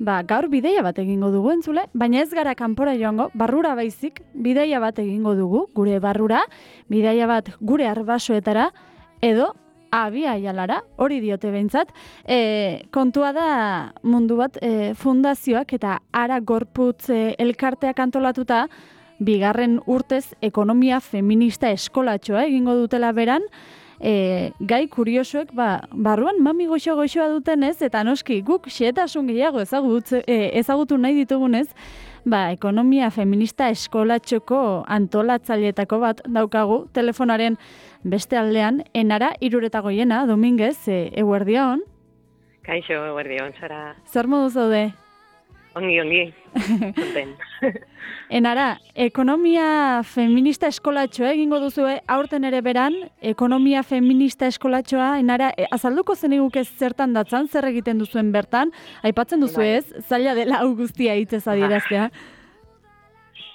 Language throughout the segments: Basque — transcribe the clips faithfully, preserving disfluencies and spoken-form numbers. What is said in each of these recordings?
ba, gaur bideia bat egingo dugu entzule, baina ez gara kanpora joango, barrura baizik, bideia bat egingo dugu, gure barrura, bideia bat gure arbasoetara, edo abia jalara, hori diote behintzat. E, kontua da mundu bat e, fundazioak eta ara gorputz e, elkarteak antolatuta, bigarren urtez ekonomia feminista eskolatxoa egingo dutela beran, E, gai kuriosoek ba, barruan mami goxo-goxoa dutenez, eta noski guk xehetasun gehiago ezagutu, e, ezagutu nahi ditugunez, ba, ekonomia feminista eskolatxoko antolatzaileetako bat daukagu, telefonaren beste aldean, enara iruretagoiena, Dominguez, e, eguerdion. Kaixo, eguerdion, zara. Zer modu zaude? Ongi, ongi. Zuten. Enara, ekonomia feminista eskolatxoa egingo duzue aurten ere beran, ekonomia feminista eskolatxoa, enara, e, azalduko zeniguk ez zertan datzan, zer egiten duzuen bertan, aipatzen duzu ez, zaila dela hau guztia hitzez adieraztea.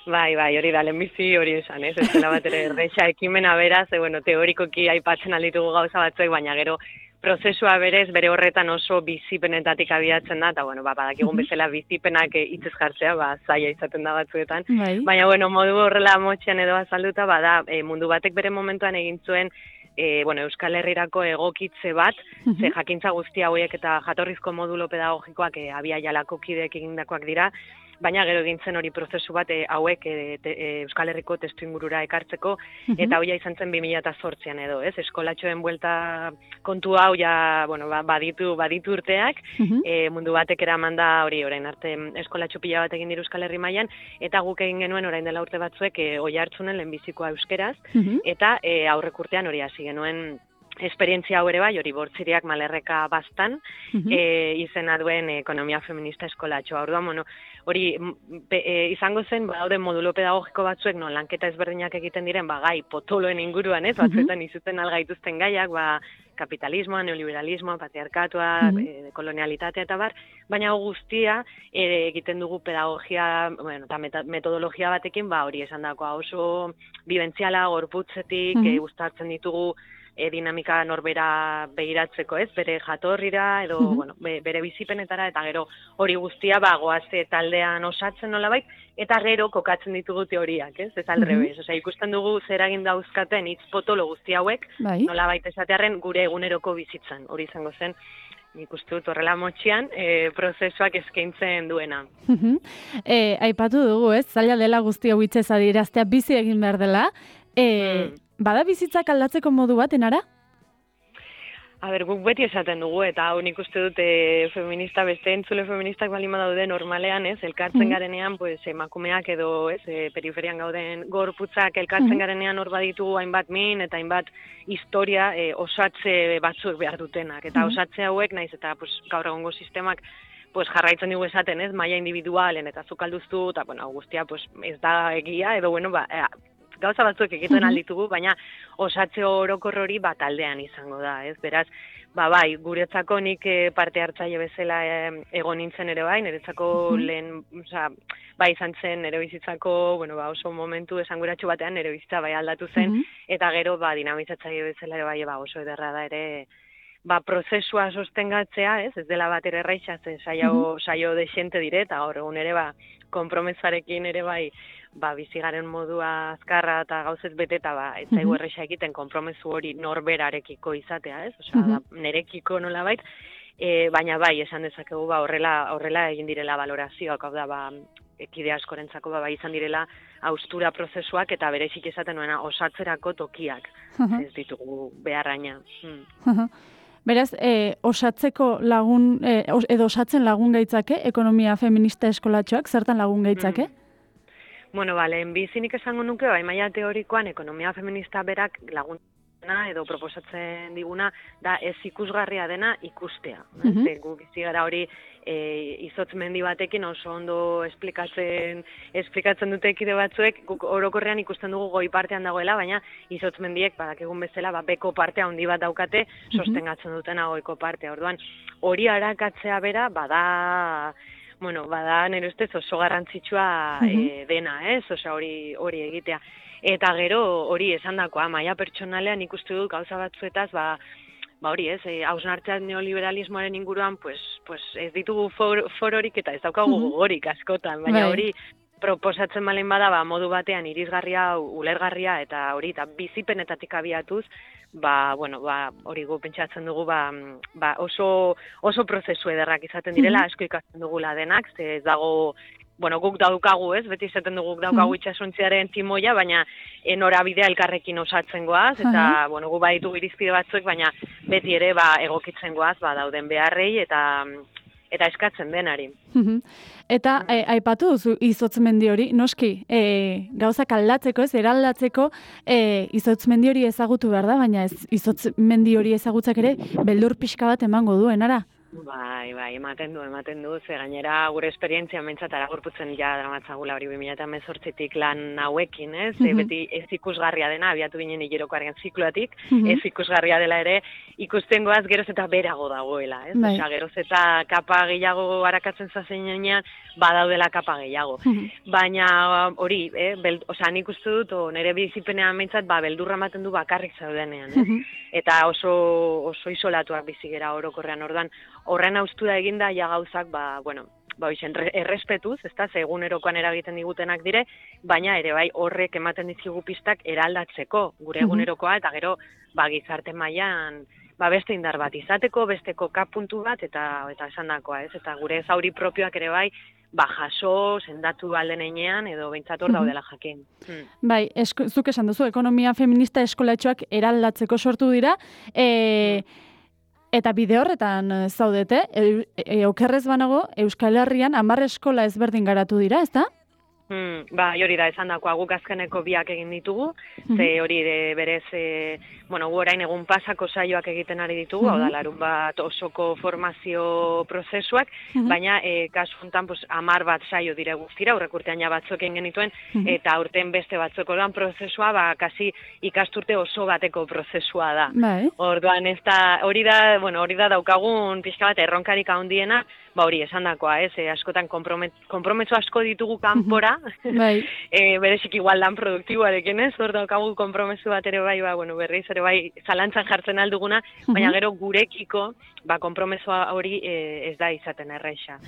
Bai, bai, hori da, lehenbizi hori esan, ez? Ez dela bat ere erreixa ekimena beraz, e, bueno, teorikoki aipatzen alditugu gauza batzuek, baina gero prozesua berez, bere horretan oso bizipenetatik abiatzen da, eta, bueno, ba, badakigun bezala bizipenak hitzez jartzea, ba, zaila izaten da batzuetan. Bai. Baina, bueno, modu horrela motxean edo azalduta, bada, e, mundu batek bere momentuan egin zuen, e, bueno, Euskal Herrirako egokitze bat, ze jakintza guzti hauek eta jatorrizko modulo pedagogikoak e, abia jalako kideek egindakoak dira, baina gero egin zen hori prozesu bat e, hauek e, te, e, Euskal Herriko testu ingurura ekartzeko, eta hoia izan zen bi mila zortzian edo, ez? Eskolatxoen buelta kontu hau ja, bueno, ba, baditu, baditu urteak, e, mundu batek eraman da hori orain arte eskolatxo pila bat egin dira Euskal Herri mailan, eta guk egin genuen orain dela urte batzuek e, oi hartzunen lehenbizikoa euskeraz, eta e, aurrek urtean hori hasi genuen esperientzia hau ere bai, hori bortziriak malerreka bastan, e, izena duen ekonomia feminista eskolatxoa. Orduan, bueno, hori pe, e, izango zen, badaude modulo pedagogiko batzuek, no, lanketa ezberdinak egiten diren, ba, gai potoloen inguruan, ez, batzuetan izuten algaituzten gaiak, ba, kapitalismoa, neoliberalismoa, patriarkatua, e, kolonialitatea eta bar, baina guztia e, egiten dugu pedagogia, bueno, eta metodologia batekin, ba, hori esan dakoa oso bibentziala, gorputzetik, e, uztartzen ditugu E, dinamika norbera begiratzeko, ez, bere jatorrira, edo, bueno, be, bere bizipenetara, eta gero hori guztia, ba, goazte taldean osatzen nolabait, eta gero kokatzen ditugu teoriak, ez, ez aldrebez. Osea, ikusten dugu zer egin dauzkaten hitz potolo guzti hauek, bai. Nolabait esatearren gure eguneroko bizitzan, hori izango zen, nik uste dut horrela motxian, e, prozesuak eskaintzen duena. e, aipatu dugu, ez, zaila dela guzti hau hitzez adieraztea, bizi egin behar dela, e, mm. Bada bizitzak aldatzeko modu bat, enara? A ber, guk beti esaten dugu, eta hau nik uste dut e, feminista, beste entzule feministak balima daude normalean, ez, elkartzen mm. garenean, pues, emakumeak edo, ez, e, periferian gauden gorputzak elkartzen mm. garenean hor baditu hainbat min, eta hainbat historia e, osatze batzuek behar dutenak, eta mm. osatze hauek, naiz, eta pues, gaur egongo sistemak, pues, jarraitzen dugu esaten, ez, maila individualen, eta zukalduztu, eta, bueno, guztia, pues, ez da egia, edo, bueno, ba, e, gauza batzuek egiten alditugu, baina osatze orokor hori bat aldean izango da, ez? Beraz, ba bai, guretzako nik parte hartzaile bezala egon nintzen ere bai, niretzako lehen, oza, bai izan zen nire bizitzako, bueno, ba oso momentu esanguratsu batean nire bizitza bai aldatu zen, eta gero, ba, dinamizatzaile bezala ere bai, ba oso ederra da ere, ba, prozesua sostengatzea, ez? Ez dela bat ere erraixa, ze saio, saio de xente dire, eta gaur egun ere, ba, konpromesarekin ere bai, ba, bizigaren modua azkarra eta gauzez beteta, ba, ez zaigu erraixa egiten konpromesu hori norberarekiko izatea, ez? Osea, da, nerekiko nolabait, e, baina bai, esan dezakegu, ba, horrela, horrela egin direla valorazioak, hau da, ba, ekide askorentzako, ba, izan direla haustura prozesuak eta berezik esaten nuena osatzerako tokiak, ez ditugu beharraina. Hmm. Beraz, e, osatzeko lagun, e, edo osatzen lagun gaitzake, ekonomia feminista eskolatxoak, zertan lagun gaitzake? Mm. Bueno, bale, bizinik esango nuke, bai, maila teorikoan, ekonomia feminista berak lagun edo proposatzen diguna, da ez ikusgarria dena ikustea. Mm -hmm. Gu bizi gara hori e, izotz mendi batekin oso ondo esplikatzen, esplikatzen dute ekide batzuek, guk orokorrean ikusten dugu goi partean dagoela, baina izotz mendiek, badakigun bezala, ba, beko partea handi bat daukate, sostengatzen dutena goiko partea. Orduan, hori arakatzea bera, bada... Bueno, bada nire ustez oso garrantzitsua e, dena, ez? Osea, hori hori egitea. Eta gero hori esandakoa, maila pertsonalean ikustu dut gauza batzuetaz, ba, ba hori ez, e, hausnartzea neoliberalismoaren inguruan, pues, pues ez ditugu for, fororik eta ez daukagu Mhm. gogorik askotan, baina Bai. hori proposatzen balen bada, ba, modu batean irisgarria, ulergarria eta hori, eta bizipenetatik abiatuz, ba, bueno, ba, hori gu pentsatzen dugu, ba, ba oso, oso prozesu ederrak izaten direla, Mhm. asko ikasten dugula denak, ze ez dago, bueno, guk daukagu, ez, beti izaten dugu guk daukagu Mhm. itxasontziaren timoia, baina norabidea elkarrekin osatzen goaz, eta, Aha. bueno, gu baditu irizpide batzuek, baina beti ere, ba, egokitzen goaz, ba, dauden beharrei, eta eta eskatzen denari. Mhm. Eta e, aipatu duzu izotzmendi hori, noski, e, gauzak aldatzeko, ez, eraldatzeko e, izotzmendi hori ezagutu behar da, baina ez izotzmendi hori ezagutzak ere beldur pixka bat emango duen, ara? Bai, bai, ematen du, ematen du, ze gainera gure esperientzia mentzatara gorputzen ja dramatzagula hori bi mila hemezortzitik lan hauekin, ez? Mhm. Beti ez ikusgarria dena, abiatu ginen hilerokoaren zikloatik, Mhm. ez ikusgarria dela ere, ikusten goaz geroz eta berago dagoela, ez? Bai. Osea, geroz eta kapa gehiago arakatzen zazenean, badaudela kapa gehiago. Mhm. Baina hori, eh, bel, osea, nik uste dut, o, nire bizipenean mentzat, ba, beldurra ematen du bakarrik zaudenean, ez? Mhm. Eta oso, oso isolatuak bizi gera orokorrean, ordan horren haustura eginda ja gauzak, ba, bueno, ba, hoxen, errespetuz, ez da, ze egunerokoan eragiten digutenak dire, baina ere bai horrek ematen dizkigu pistak eraldatzeko gure egunerokoa, eta gero, ba, gizarte mailan ba, beste indar bat izateko, beste koka puntu bat, eta eta esandakoa, ez? Eta gure zauri propioak ere bai, ba, jaso, sendatu alden einean, edo behintzat hor daudela jakin. Hmm. Bai, esko, zuk esan duzu, ekonomia feminista eskolatxoak eraldatzeko sortu dira, e, eta bide horretan zaudete, e, e, okerrez banago, Euskal Herrian hamar eskola ezberdin garatu dira, ez da? Hmm, ba, hori da, esan dakoa, guk azkeneko biak egin ditugu, ze hori de, berez, e, bueno, gu orain egun pasako saioak egiten ari ditugu, hau da, larun bat osoko formazio prozesuak, baina e, kasu honetan, pues, amar bat saio dire guztira, aurrek urtean ja batzuk egin genituen, eta aurten beste batzuk orduan prozesua, ba, kasi ikasturte oso bateko prozesua da. Bai. Orduan, ez da, hori da, bueno, hori da daukagun pixka bat erronkarik handiena, ba hori, esandakoa, ez, e, askotan konprometso asko ditugu kanpora, bai. e, berezik igual lan produktiboarekin, ez, hor daukagu konpromesu bat ere bai, ba, bueno, berriz ere bai, zalantzan jartzen alduguna, baina gero gurekiko, ba, konpromesoa hori e, ez da izaten erraixa.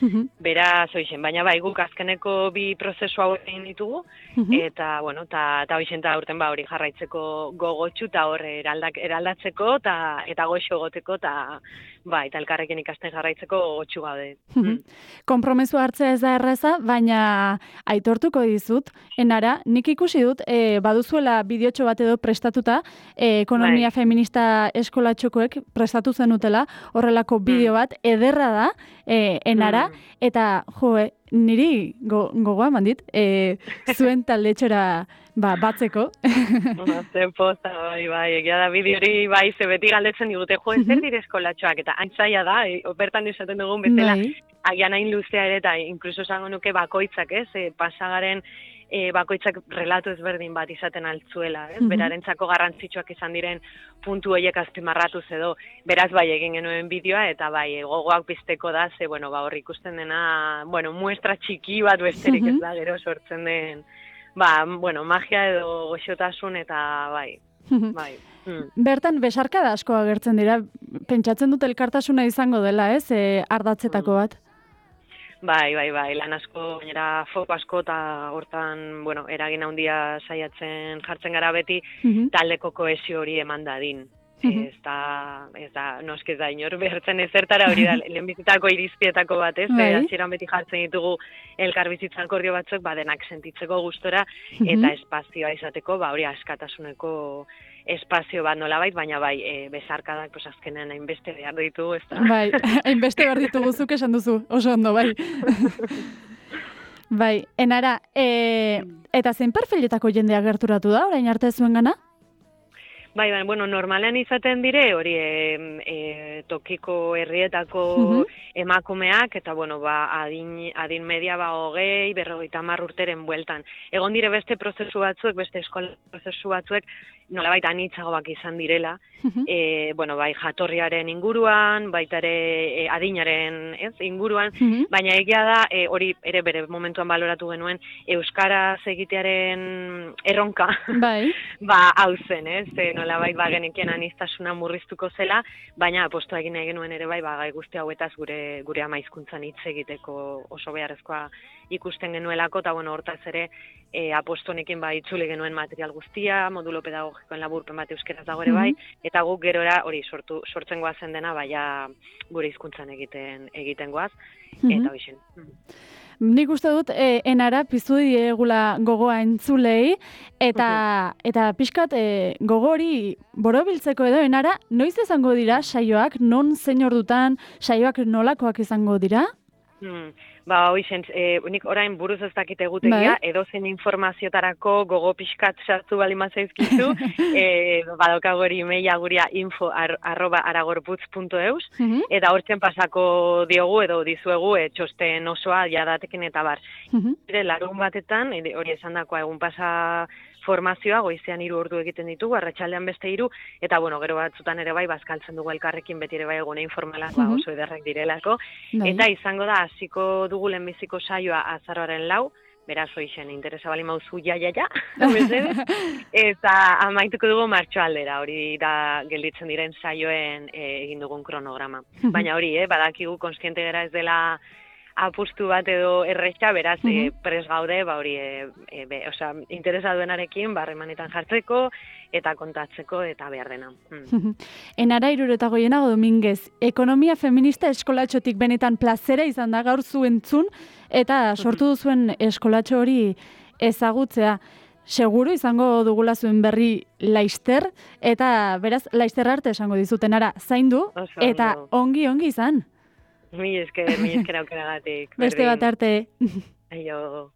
Beraz, hoixen, baina bai, guk azkeneko bi prozesu hau egin ditugu, eta, bueno, eta ta hoixen ta urten ba hori jarraitzeko gogotxu, eta hor eraldak, eraldatzeko, eta eta goxo goteko, eta ba, eta elkarrekin ikasten jarraitzeko gogotxu gaude. Konpromesu hartzea ez da erraza, baina aitortuko dizut, enara, nik ikusi dut, e, baduzuela bideotxo bat edo prestatuta, e, ekonomia feminista eskolatxokoek prestatu zenutela, horrelako bideo bat, ederra da, e, enara, eta, jo, e, niri go, gogoa eman dit, e, zuen taldetxora ba, batzeko. Zer posta, bai, bai, egia da bideo hori, bai, ze beti galdetzen digute, jo, ez zer dire eskolatxoak, eta antzaia da, e, bertan esaten dugun bezala, agian hain luzea ere, eta inkluso esango nuke bakoitzak, ez, e, pasagaren e, bakoitzak relatu ezberdin bat izaten altzuela, ez, berarentzako garrantzitsuak izan diren puntu horiek azpimarratuz edo, beraz bai egin genuen bideoa, eta bai, gogoak pizteko da, ze, bueno, ba, hor ikusten dena, bueno, muestra txiki bat besterik ez da, gero sortzen den, ba, bueno, magia edo goxotasun eta bai, bai. Bertan, besarkada asko agertzen dira, pentsatzen dut elkartasuna izango dela, ez, e, ardatzetako bat? Bai, bai, bai, lan asko, gainera foko asko, eta hortan, bueno, eragin handia saiatzen jartzen gara beti, taldeko kohesio hori eman dadin. Ez da, ez da, noski ez da, inor behartzen ezertara hori da, lehenbizitako irizpietako bat, ez? Hasieran beti jartzen ditugu elkarbizitza akordio batzuk, ba, denak sentitzeko gustora, eta espazioa izateko, ba, hori askatasuneko espazio bat nolabait, baina bai, e, bezarkadak, pues, azkenean hainbeste behar ditugu, ez da? Bai, hainbeste behar ditugu zuk esan duzu, oso ondo, bai. Bai, enara, e, eta zein perfiletako jendea gerturatu da, orain arte zuen gana? Bai, bai, bueno, normalean izaten dire, hori e, e, tokiko herrietako uh-huh. emakumeak, eta, bueno, ba, adin, adin media, ba, hogei, berrogeita hamar urteren bueltan. Egon dire beste prozesu batzuek, beste eskola prozesu batzuek, nolabait anitzagoak izan direla, e, bueno, bai jatorriaren inguruan, baita ere e, adinaren ez, inguruan, baina egia da, e, hori ere bere momentuan baloratu genuen, euskaraz egitearen erronka, bai. ba, hau zen, ez, e, nolabait ba genekien aniztasuna murriztuko zela, baina apostua egin nahi genuen ere bai, ba, gai guzti hauetaz gure, gure ama hizkuntzan hitz egiteko oso beharrezkoa ikusten genuelako, eta bueno, hortaz ere, e, apostonekin ba, itzuli genuen material guztia, modulo pedagogikoen laburpen bat euskeraz dago ere bai, eta guk gerora hori sortu, sortzen goazen dena, baina gure hizkuntzan egiten, egiten goaz, eta hoxen. Nik uste dut, e, enara piztu diegula gogoa entzulei, eta, eta pixkat e, gogo hori borobiltzeko edo enara, noiz izango dira saioak, non zein ordutan saioak nolakoak izango dira? Hmm. Ba, hoixen, e, nik orain buruz ez dakite egutegia, bai? Edo zen informaziotarako gogo pixkat sartu bali mazaizkizu, e, badokago hori emaila guria info ar, arroba aragorputz puntu eus, uh-huh. eta hortzen pasako diogu edo dizuegu e, txosten osoa jadatekin eta bar. Uh-huh. Larun batetan, hori esan dakoa egun pasa formazioa, goizean hiru ordu egiten ditugu, arratsaldean beste hiru, eta bueno, gero batzutan ere bai, bazkaltzen dugu elkarrekin beti ere bai egune informalak, uh-huh. ba, oso ederrak direlako, Dai. Eta izango da, hasiko dugu lehenbiziko saioa azaroaren lau, beraz hoixen, interesa bali mauzu ja, ja, ja, eta amaituko dugu martxoaldera, hori da gelditzen diren saioen e, egin dugun kronograma. Uh-huh. Baina hori, eh, badakigu konstiente gara ez dela apustu bat edo erretxa, beraz, uh-huh. e, pres gaude, ba hori, e, e, be, osea, interesa duenarekin, barremanetan jartzeko, eta kontatzeko, eta behar dena. Hmm. Enara Irureta Goienago Dominguez, ekonomia feminista eskolatxotik benetan plazera izan da gaur zuentzun, eta sortu duzuen eskolatxo hori ezagutzea. Seguru izango dugula zuen berri laister, eta beraz, laister arte esango dizuten ara, zaindu, eta ongi-ongi izan. Mi esker, mi esker aukeragatik. Beste bat arte. Aio.